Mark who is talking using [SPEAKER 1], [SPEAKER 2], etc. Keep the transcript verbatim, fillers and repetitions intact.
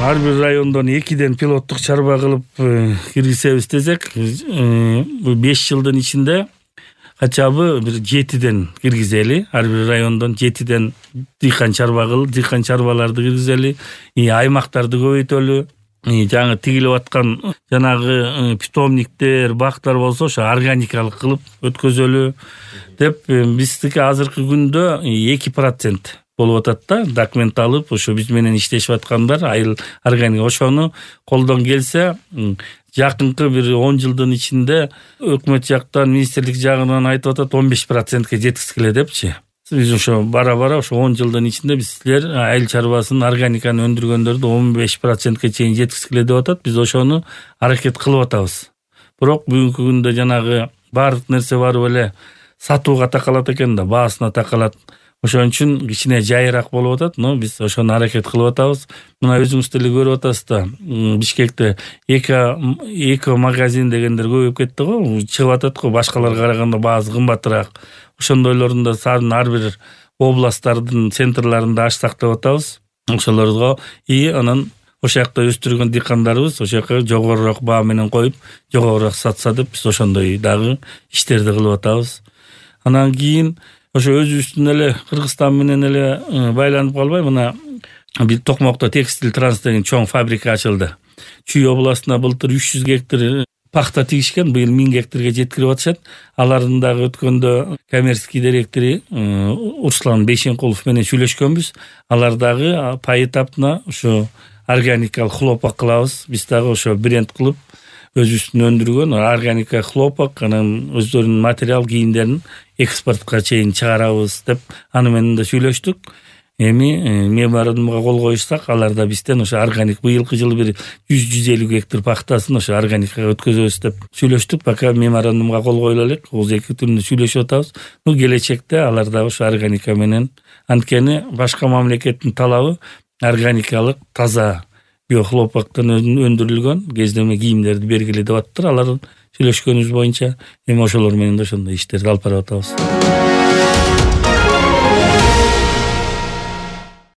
[SPEAKER 1] ар бир райондон экиден пилоттук чарба кылып киргизебиз десек, беш жылдын ичинде качабы бир жетиден киргизели. Ар бир райондон жетиден дыйкан чарба кылып, дыйкан чарбаларды киргизели, аймактарды көбөйтөлү. Жаңы тигилип аткан жанагы питомниктер, бактар болсо ошо органикалык кылып өткөзөлү деп, биздики азыркы күндө эки процент болуп атат да, документ алып ошо биз менен иштешип аткандар айыл органик. Ошону колдон келсе жакынкы бир он жылдын ичинде өкмөт жактан, министрлик жагынан айтып атат он беш процентке жеткизгиле депчи. Биз ошо бара-бара ошо он жылдын ичинде биз силер айыл чарбасын, органиканы өндүргөндөрдү он беш процентке чейин жеткизгиле деп атат. Биз ошону аракет кылып атабыз. Бирок бүгүнкү күндө жанагы баардык нерсе барып эле сатууга такалат экен да, баасына такалат. Ошон үчүн кичине жайыраак болуп атат, но биз ошону аракет кылып атабыз. Мына өзүңүз деле көрүп атасыз да, Бишкекте эко эко магазин дегендер көбөйүп кетти го, чыгып атат го, башкаларга караганда баасы кымбатыраак. Ошондойлорун да сарын ар бир областтардын центрларында ачсак деп атабыз. Ошолорго и анан ошол жакта өстүргөн дыйкандарыбыз ошол жака жогорураак баа менен коюп, жогорураак сатса деп биз ошондой дагы иштерди кылып атабыз. Анан кийин ошо өзүбүздүн эле Кыргызстан менен эле байланып калбай, мына бир Токмокто текстиль транс деген чоң фабрика ачылды. Чүй областына былтыр үч жүз гектар пахта тигишкен, быйыл миң гектарга жеткирип атышат. Алардын дагы өткөндө коммерческий директори Руслан Бейшенкулов менен сүйлөшкөнбүз. Алар дагы поэтапно ошо органикалык хлопок кылабыз. Биз дагы ошо бренд кылып өзүбүздүн өндүргөн органика хлопок, анан өздөрүнүн материал кийимдерин экспортко чейин чыгарабыз деп аны менен да сүйлөштүк. Эми меморандумга кол коюшсак, алар да бизден ошо органик быйылкы жылы бир жүз жүз элүү гектар пахтасын ошо органикага өткөзөбүз деп сүйлөштүк. Пока меморандумга кол коюла элек, ооз эки түрүндө сүйлөшүп атабыз. Ну келечекте алар да ошо органика менен, анткени башка мамлекеттин талабы органикалык, таза биохлопоктон өндүрүлгөн кездеме кийимдерди бергиле деп аттыр. Алар сүйлөшкөнүбүз боюнча эми ошолор менен да ошондой иштерди алып барып атабыз.